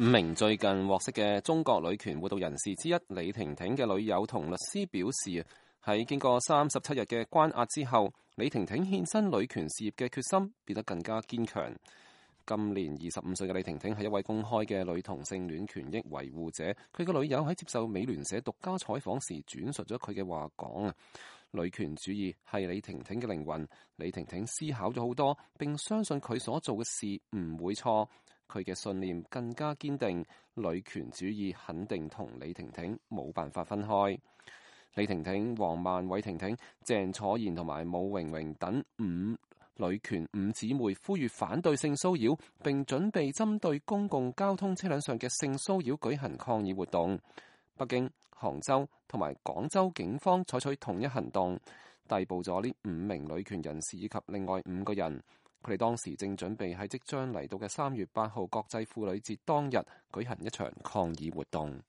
5名最近獲釋嘅中國女權活動人士之一李婷婷嘅女友同律師表示，喺經過37日嘅關押之後，李婷婷獻身女權事業嘅決心變得更加堅強。今年25歲嘅李婷婷係一位公開嘅女同性戀權益維護者。佢嘅女友喺接受美聯社獨家採訪時轉述咗佢嘅話講，女權主義係李婷婷嘅靈魂。李婷婷思考咗好多，並相信佢所做嘅事唔會錯。佢嘅信念更加堅定，女權主義肯定同李婷婷冇辦法分開。李婷婷、黃曼偉婷婷、鄭楚賢同埋武榮榮等女權五姊妹呼籲反對性騷擾，並準備針對公共交通車輛上嘅性騷擾舉行抗議活動。北京、杭州同埋廣州警方採取同一行動，逮捕咗呢5名女權人士以及另外5個人。佢哋當時正準備喺即將嚟到嘅3月8號國際婦女節當日舉行一場抗議活動。